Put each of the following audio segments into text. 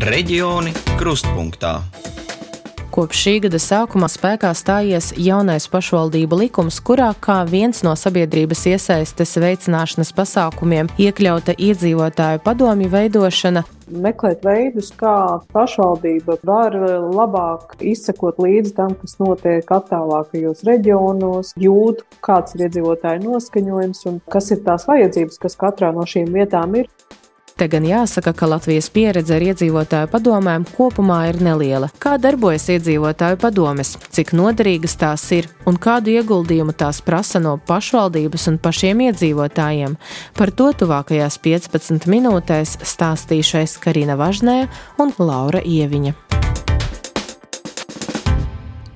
Reģioni krustpunktā. Kopš šī gada sākumā spēkā stājies jaunais pašvaldību likums, kurā kā viens no sabiedrības iesaistes veicināšanas pasākumiem iekļauta iedzīvotāju padomju veidošana. Meklēt veidus, kā pašvaldība var labāk izsekot līdzi tam, kas notiek attālākajos reģionos, jūt, kāds ir iedzīvotāju noskaņojums un kas ir tās vajadzības, kas katrā no šīm vietām ir. Te gan jāsaka, ka Latvijas pieredze ar iedzīvotāju padomēm kopumā ir neliela. Kā darbojas iedzīvotāju padomes, cik noderīgas tās ir un kādu ieguldījumu tās prasa no pašvaldības un pašiem iedzīvotājiem? Par to tuvākajās 15 minūtēs stāstīšais Karina Važnēja un Laura Ieviņa.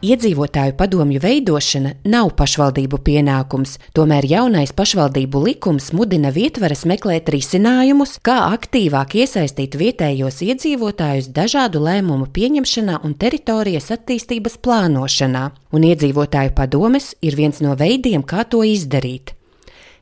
Iedzīvotāju padomju veidošana nav pašvaldību pienākums, tomēr jaunais pašvaldību likums mudina vietvaras meklēt risinājumus, kā aktīvāk iesaistīt vietējos iedzīvotājus dažādu lēmumu pieņemšanā un teritorijas attīstības plānošanā, un iedzīvotāju padomes ir viens no veidiem, kā to izdarīt.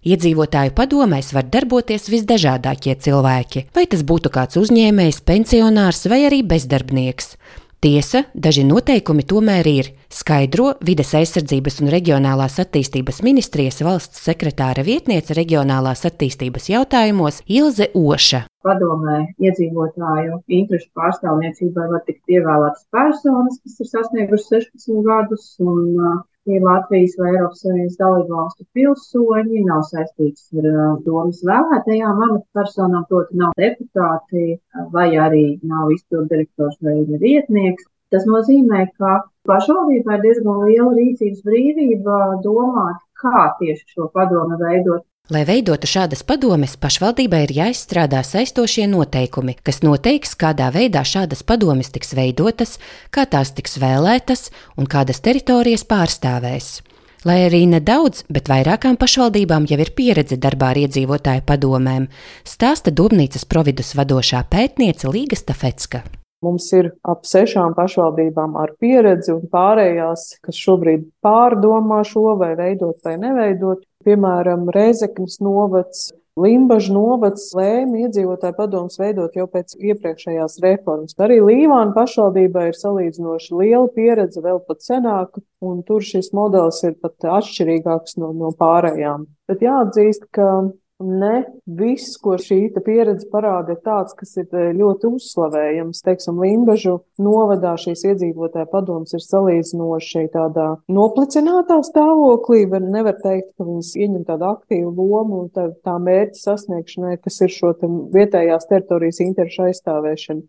Iedzīvotāju padomēs var darboties visdažādākie cilvēki, vai tas būtu kāds uzņēmējs, pensionārs vai arī bezdarbnieks. Tiesa, daži noteikumi tomēr ir, skaidro Vides aizsardzības un reģionālās attīstības ministrijas valsts sekretāra vietniece reģionālās attīstības jautājumos Ilze Oša. Padomē iedzīvotāju interešu pārstāvniecībai var tikt ievēlētas personas, kas ir sasniegušas 16 gadus un ir Latvijas vai Eiropas Savienības dalībvalstu pilsoņi, nav saistīts ar domas vēlētajām amatpersonām, proti nav deputāti vai arī nav izpilddirektors vai vietnieks. Tas nozīmē, ka pašvaldībā ir diezgan liela rīcības brīvība domāt, kā tieši šo padomu veidot. Lai veidotu šādas padomes, pašvaldībai ir jāizstrādā saistošie noteikumi, kas noteiks, kādā veidā šādas padomes tiks veidotas, kā tās tiks vēlētas un kādas teritorijas pārstāvēs. Lai arī nedaudz, bet vairākām pašvaldībām jau ir pieredze darbā ar iedzīvotāju padomēm, stāsta Dobnīcas Providus vadošā pētniece Līga Stafecka. Mums ir ap 6 pašvaldībām ar pieredzi un pārējās, kas šobrīd pārdomā šo vai veidot vai neveidot. Piemēram, Rēzeknes novads, Limbažu novads lēma iedzīvotāju padomus veidot jau pēc iepriekšējās reformas. Arī Līvāna pašvaldībā ir salīdzinoši liela pieredze, vēl pat senāka, un tur šis modelis ir pat atšķirīgāks no pārējām. Bet jāatzīst, ka ne viss, ko šī pieredze parāda, ir tāds, kas ir ļoti uzslavējams. Teiksim, Limbažu novadā šīs iedzīvotāju padomas ir salīdzinoši tādā noplicinātā stāvoklī. Nevar teikt, ka viņas ieņem tādu aktīvu lomu un tā mērķa sasniegšanai, kas ir šo vietējās teritorijas interešu aizstāvēšana.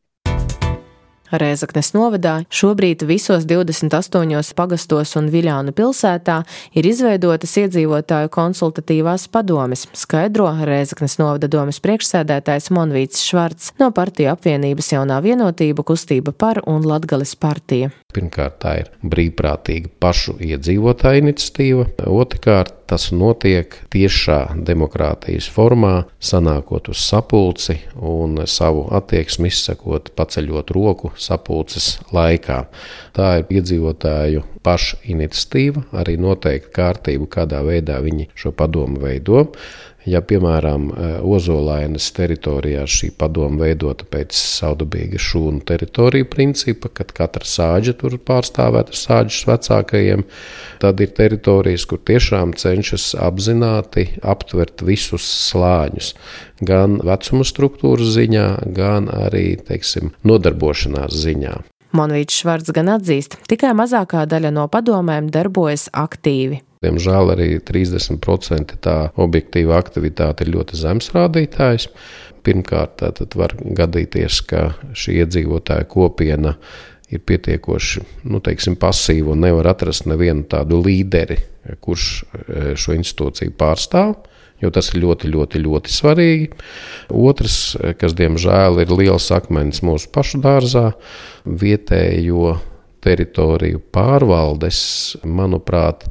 Rēzeknes novadā šobrīd visos 28 pagastos un Viļānu pilsētā ir izveidotas iedzīvotāju konsultatīvās padomes, skaidro Rēzeknes novada domes priekšsēdētājs Monvīts Švarts no partiju apvienības Jaunā vienotība, Kustība par un Latgales partija. Pirmkārt, tā ir brīvprātīga pašu iedzīvotāju iniciatīva. Otrkārt, tas notiek tiešā demokrātijas formā, sanākot uz sapulci un savu attieksmi izsakot, paceļot roku sapulces laikā. Tā ir iedzīvotāju pašu iniciatīva, arī noteikti kārtību, kādā veidā viņi šo padomu veido. Ja, piemēram, Ozolainas teritorijā šī padoma veidota pēc savdabīga šūnu teritoriju principa, kad katra sāģa tur pārstāvēta ar sāģas vecākajiem, tad ir teritorijas, kur tiešām cenšas apzināti aptvert visus slāņus, gan vecuma struktūras ziņā, gan arī, nodarbošanās ziņā. Monvīts Švarts gan atzīst, tikai mazākā daļa no padomēm darbojas aktīvi. Diemžēl arī 30% tā objektīva aktivitāte ir ļoti zems rādītājs. Pirmkārt, tad var gadīties, ka šī iedzīvotāja kopiena ir pietiekoši, pasīva un nevar atrast nevienu tādu līderi, kurš šo institūciju pārstāv, jo tas ir ļoti, ļoti, ļoti svarīgi. Otrs, kas diemžēl ir liels akmens mūsu pašu dārzā, vietējo teritoriju pārvaldes, manuprāt,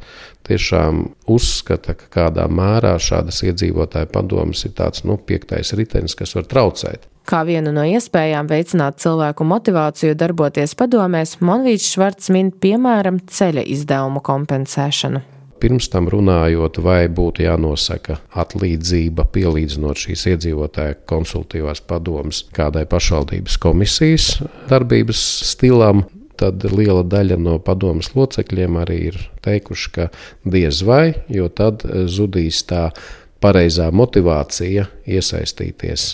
tiešām uzskata, ka kādā mērā šādas iedzīvotāju padomas ir tāds 5. ritenis, kas var traucēt. Kā vienu no iespējām veicināt cilvēku motivāciju darboties padomēs, Monvīts Švarts min piemēram ceļa izdevumu kompensēšanu. Pirms tam runājot, vai būtu jānosaka atlīdzība, pielīdzinot šīs iedzīvotāju konsultatīvās padomes kādai pašvaldības komisijas darbības stilam, tad liela daļa no padomes locekļiem arī ir teikuši, ka diez vai, jo tad zudīs tā pareizā motivācija iesaistīties.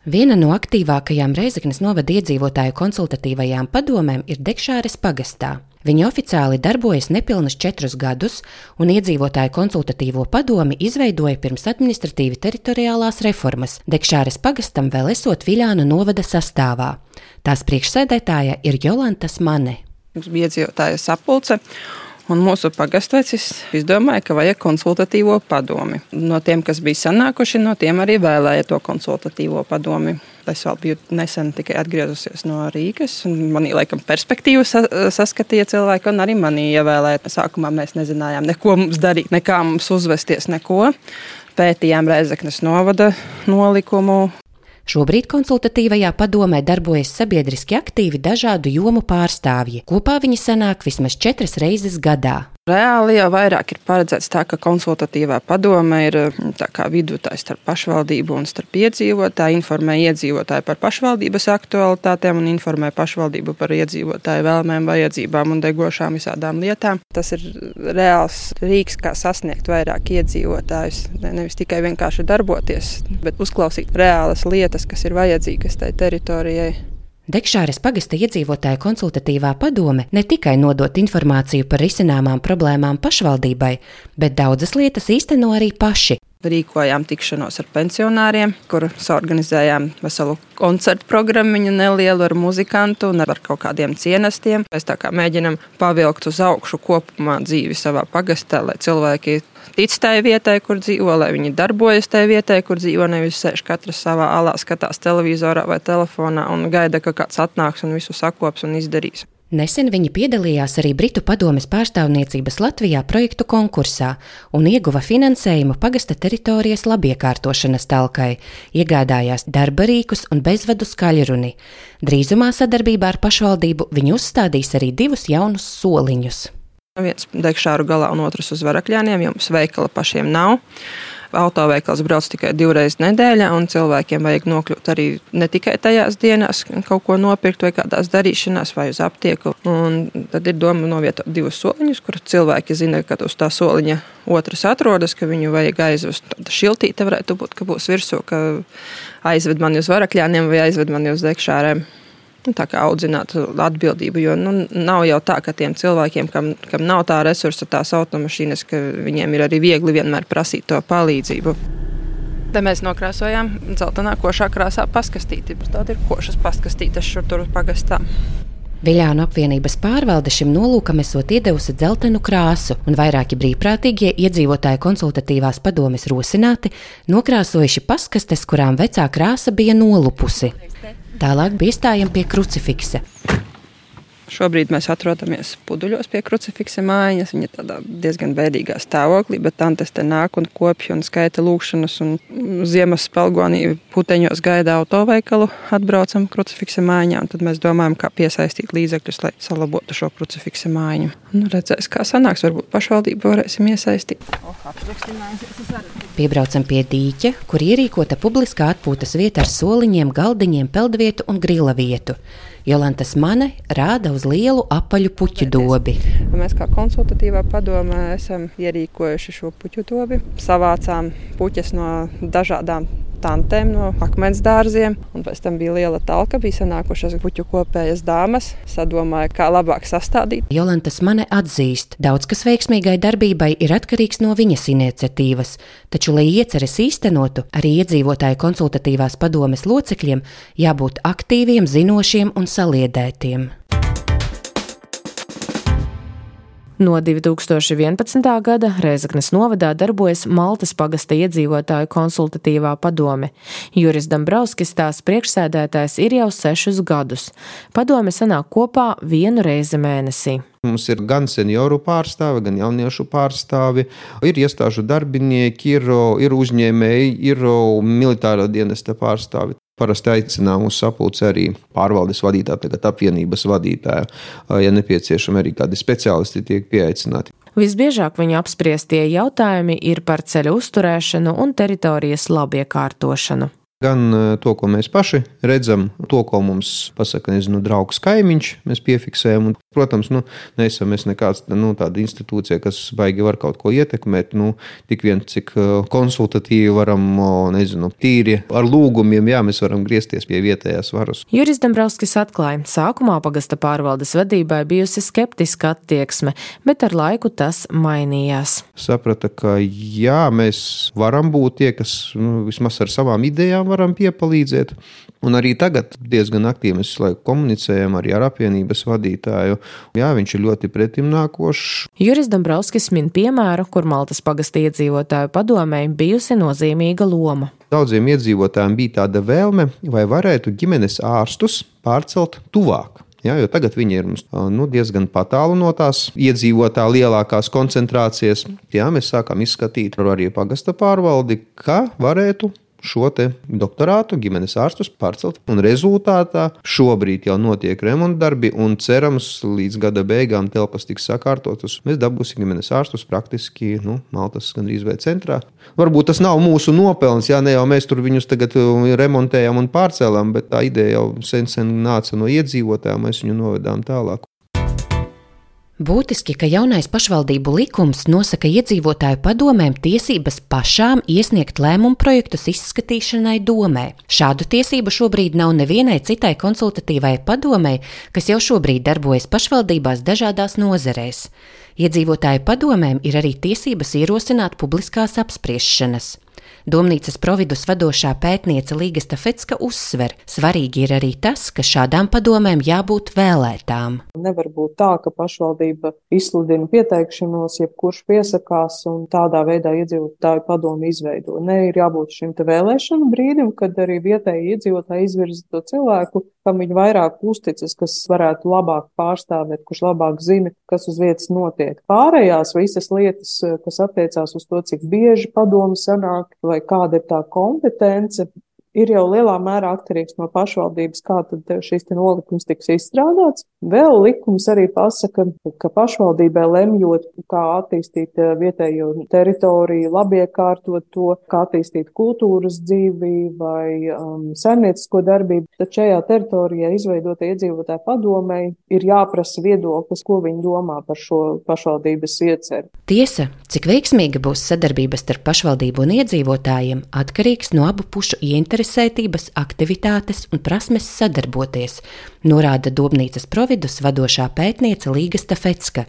Viena no aktīvākajām Rēzeknes novada iedzīvotāju konsultatīvajām padomēm ir Dekšāres pagastā. Viņi oficiāli darbojas nepilnus 4 gadus, un iedzīvotāju konsultatīvo padomi izveidoja pirms administratīvi teritoriālās reformas, Dekšāres pagastam vēl esot Viļānu novada sastāvā. Tās priekšsēdētāja ir Jolanta Mane. Mums bija iedzīvotāju sapulce. Un mūsu pagastvecis izdomāja, ka vajag konsultatīvo padomi. No tiem, kas bija sanākuši, no tiem arī vēlēja to konsultatīvo padomi. Es vēl biju nesen tikai atgriezusies no Rīgas, un manī laikam perspektīvu saskatīja cilvēki, un arī manī ievēlēja. Sākumā mēs nezinājām, neko mums darīt, nekā mums uzvesties, neko. Pētījām Rēzeknes novada nolikumu. Šobrīd konsultatīvajā padomē darbojas sabiedriski aktīvi dažādu jomu pārstāvji. Kopā viņi sanāk vismaz 4 reizes gadā. Reāli jau vairāk ir paredzēts tā, ka konsultatīvā padome ir tā kā vidutājs starp pašvaldību un starp iedzīvotāju, informē iedzīvotāju par pašvaldības aktualitātēm un informē pašvaldību par iedzīvotāju vēlmēm, vajadzībām un degošām visādām lietām. Tas ir reāls rīks, kā sasniegt vairāk iedzīvotājus, nevis tikai vienkārši darboties, bet uzklausīt reālas lietas, kas ir vajadzīgas tai teritorijai. Dekšāres pagasta iedzīvotāju konsultatīvā padome ne tikai nodot informāciju par risināmām problēmām pašvaldībai, bet daudzas lietas īsteno arī paši. Rīkojām tikšanos ar pensionāriem, kur saorganizējām veselu koncertu programmiņu nelielu ar muzikantu un ar kaut kādiem cienestiem. Mēs tā kā mēģinam pavilkt uz augšu kopumā dzīvi savā pagastā, lai cilvēki tic tai vietai, kur dzīvo, lai viņi darbojas tai vietai, kur dzīvo, nevis sēž katrs savā alā, skatās televizorā vai telefonā un gaida, ka kāds atnāks un visu sakops un izdarīs. Nesen viņi piedalījās arī Britu padomes pārstāvniecības Latvijā projektu konkursā un ieguva finansējumu pagasta teritorijas labiekārtošanas talkai, iegādājās darba rīkus un bezvadu skaļruni. Drīzumā sadarbībā ar pašvaldību viņi uzstādīs arī 2 jaunus soliņus. Viens Dekšāru galā un otrs uz Varakļāniem, jo mums veikala pašiem nav. Autoveikals brauc tikai 2 reizes nedēļā, un cilvēkiem vajag nokļūt arī ne tikai tajās dienās, kaut ko nopirkt vai kādās darīšanās vai uz aptieku. Un tad ir doma novietot 2 soliņus, kur cilvēki zina, ka uz tā soliņa otrs atrodas, ka viņu vajag aizvest. Tāda šiltīte varētu būt, ka būs virsū, ka aizved mani uz Varakļāniem vai aizved mani uz Dekšārēm. Tā kā audzināt atbildību, jo nav jau tā, ka tiem cilvēkiem, kam nav tā resursa, tās automašīnas, ka viņiem ir arī viegli vienmēr prasīt to palīdzību. Te mēs nokrāsojām dzeltenā košā krāsā paskastīti. Tāda ir košas paskastītas šur tur pagastā. Viļānu apvienības pārvalde šim nolūkam esot iedevusi dzeltenu krāsu, un vairāki brīvprātīgie iedzīvotāju konsultatīvās padomes rosināti nokrāsojuši paskastes, kurām vecā krāsa bija nolupusi. Tālāk piestājam pie krucifiksa. Šobrīd mēs atrodamies Puduļos pie krucifiksa mājas. Viņa tādā diezgan bēdīgā stāvoklī, bet tantes te nāk un kopja un skaita lūkšanas un ziemas spalgonī puteņos gaida autoveikalu, atbraucam krucifiksa mājiņā, un tad mēs domājam, kā piesaistīt līdzekļus, lai salabotu šo krucifiksa mājiņu. Redzēs, kā sanāks, varbūt pašvaldību varēsim iesaistīt. Piebraucam pie dīķa, kur ierīkota publiskā atpūtas vieta ar soliņiem, galdiņiem, peldvietu un grila vietu. Jolanta Mane rāda uz lielu apaļu puķu dobi. Mēs kā konsultatīvā padomē esam ierīkojuši šo puķu dobi. Savācām puķes no dažādām tantēm, no akmens dārziem. Un pēc tam bija liela talka, bija sanākušas puķu kopējas dāmas. Sadomāja, kā labāk sastādīt. Jolanta Mane atzīst, daudz kas veiksmīgai darbībai ir atkarīgs no viņas iniciatīvas. Taču, lai ieceres īstenotu, arī iedzīvotāju konsultatīvās padomes locekļiem jābūt aktīviem, zinošiem un saliedētiem. No 2011. gada Rēzeknes novadā darbojas Maltas pagasta iedzīvotāju konsultatīvā padome. Juris Dambrauskis, tās priekšsēdētājs, ir jau 6 gadus. Padome sanāk kopā 1 reizi mēnesī. Mums ir gan senioru pārstāvi, gan jauniešu pārstāvi, ir iestāžu darbinieki, ir uzņēmēji, ir militāro dienesta pārstāvi. Parasti aicinām uz sapulci arī pārvaldes vadītāju, tagad apvienības vadītāju. Ja nepieciešami arī kādi speciālisti tiek pieaicināti. Visbiežāk viņu apspriestie jautājumi ir par ceļu uzturēšanu un teritorijas labiekārtošanu. Gan to, ko mēs paši redzam, to, ko mums pasaka, draugs kaimiņš, mēs piefiksējam. Un, protams, neesam mēs nekāds tāda institūcija, kas baigi var kaut ko ietekmēt. Tik vien, cik konsultatīvi varam, tīri ar lūgumiem, mēs varam griezties pie vietējās varas. Juris Dombrovskis atklāja, sākumā pagasta pārvaldes vadībai bijusi skeptiska attieksme, bet ar laiku tas mainījās. Saprata, ka mēs varam būt tie, kas vismaz ar savām idejām varam piepalīdzēt. Un arī tagad diezgan aktīvi mēs komunicējam arī ar apvienības vadītāju. Viņš ir ļoti pretimnākošs. Juris Dombrovskis min piemēru, kur Maltas pagasta iedzīvotāju padomei bijusi nozīmīga loma. Daudziem iedzīvotājiem bija tāda vēlme, vai varētu ģimenes ārstus pārcelt tuvāk. Jo tagad viņi ir diezgan patālu no tās iedzīvotāju lielākās koncentrācijas. Mēs sākam izskatīt arī pagasta pārvaldi, ka varētu šo te doktorātu ģimenes ārstus pārcelt. Un rezultātā šobrīd jau notiek remontdarbi un cerams līdz gada beigām telpas tiks sakārtotas. Mēs dabūsim ģimenes ārstus praktiski Maltas gandrīz vai centrā. Varbūt tas nav mūsu nopelns, ne jau mēs tur viņus tagad remontējam un pārcēlām, bet tā ideja jau sen nāca no iedzīvotājiem, mēs viņu novedām tālāk. Būtiski, ka jaunais pašvaldību likums nosaka iedzīvotāju padomēm tiesības pašām iesniegt lēmumu projektus izskatīšanai domē. Šādu tiesību šobrīd nav nevienai citai konsultatīvai padomei, kas jau šobrīd darbojas pašvaldībās dažādās nozerēs. Iedzīvotāju padomēm ir arī tiesības ierosināt publiskās apspriešanas. Domnīcas Providus vadošā pētniece Līga Stafecka uzsver, svarīgi ir arī tas, ka šādām padomēm jābūt vēlētām. Nevar būt tā, ka pašvaldība izsludina pieteikšanos, jebkurš piesakās un tādā veidā iedzīvotāju padomu izveido. Ir jābūt šim te vēlēšanu brīdim, kad arī vietēji iedzīvotāji izvirza to cilvēku, kam viņi vairāk uzticas, kas varētu labāk pārstāvēt, kurš labāk zina, kas uz vietas notiek. Pārējās visas lietas, kas attiecās uz to, cik bieži padomu sanāk, vai kāda ir tā kompetence, ir jau lielā mērā atkarīgs no pašvaldības, kā tad šis nolikums tiks izstrādāts. Vēl likums arī pasaka, ka pašvaldībai lemjot, kā attīstīt vietējo teritoriju, labiekārtot to, kā attīstīt kultūras dzīvi vai saimniecisko darbību, tad šajā teritorijā izveidota iedzīvotāju padomei ir jāprasa viedoklis, ko viņi domā par šo pašvaldības ieceri. Tiesa, cik veiksmīga būs sadarbības starp pašvaldību un iedzīvotājiem, atkarīgs no abu pušu ieinteresētības, aktivitātes un prasmes sadarboties, norāda Domnīcas Providus vadošā pētniece Līga Stafecka.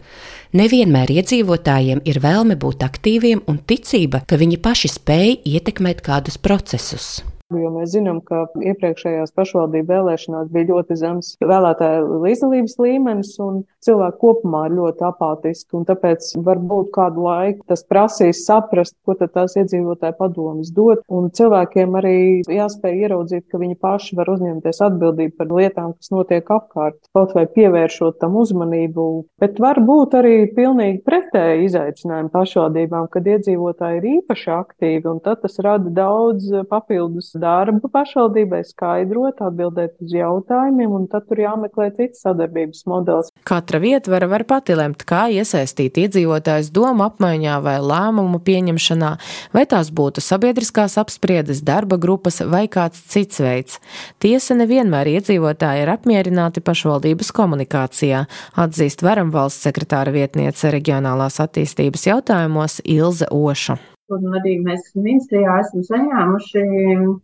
Nevienmēr iedzīvotājiem ir vēlme būt aktīviem un ticība, ka viņi paši spēj ietekmēt kādus procesus. Jo mēs zinām, ka iepriekšējās pašvaldību vēlēšanās bija ļoti zems vēlētāju līdzdalības līmenis un cilvēki kopumā ir ļoti apātiski. Un tāpēc varbūt kādu laiku tas prasīs saprast, ko tad tās iedzīvotāju padomes dod. Un cilvēkiem arī jāspēj ieraudzīt, ka viņi paši var uzņemties atbildību par lietām, kas notiek apkārt, kaut vai pievēršot tam uzmanību. Bet var būt arī pilnīgi pretēji izaicinājumi pašvaldībām, kad iedzīvotāji ir īpaši aktīvi, un tad tas rada daudz papildus darbu pašvaldībai, skaidrot, atbildēt uz jautājumiem, un tad tur jāmeklē cits sadarbības modelis. Katra vietvara var pati lemt, kā iesaistīt iedzīvotājus domu apmaiņā vai lēmumu pieņemšanā, vai tās būtu sabiedriskās apspriedes, darba grupas vai kāds cits veids. Tiesa, nevienmēr iedzīvotāji ir apmierināti pašvaldības komunikācijā, atzīst Varam valsts sekretāra vietniece reģionālās attīstības jautājumos Ilze Oša. Un arī mēs ministrijā esam saņēmuši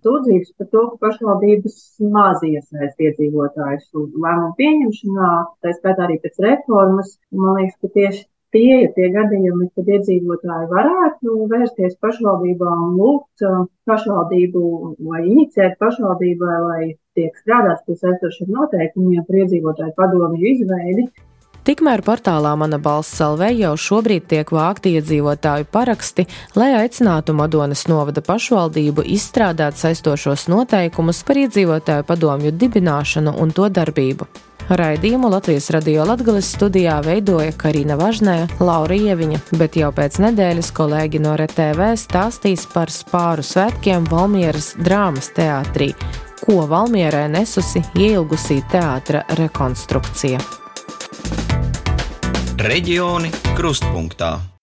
sūdzības par to, ka pašvaldības maz iesaist iedzīvotājus lēmumu pieņemšanā, tā skaitā arī pēc reformas. Man liekas, ka tieši tie ir tie gadījumi, kad iedzīvotāji varētu vērsties pašvaldībā un lūgt pašvaldību vai iniciēt pašvaldībai, lai tiek strādāts pie saistošiem noteikumiem par iedzīvotāju padomju izveidi. Tikmēr portālā Mana balss LV jau šobrīd tiek vākti iedzīvotāju paraksti, lai aicinātu Madonas novada pašvaldību izstrādāt saistošos noteikumus par iedzīvotāju padomju dibināšanu un to darbību. Raidījumu Latvijas Radio Latgales studijā veidoja Karina Važnē, Laura Ieviņa, bet jau pēc nedēļas kolēģi no RTV stāstīs par Spāru svētkiem Valmieras drāmas teātrī, ko Valmierai nesusi ieilgusī teātra rekonstrukcija. Reģioni krustpunktā.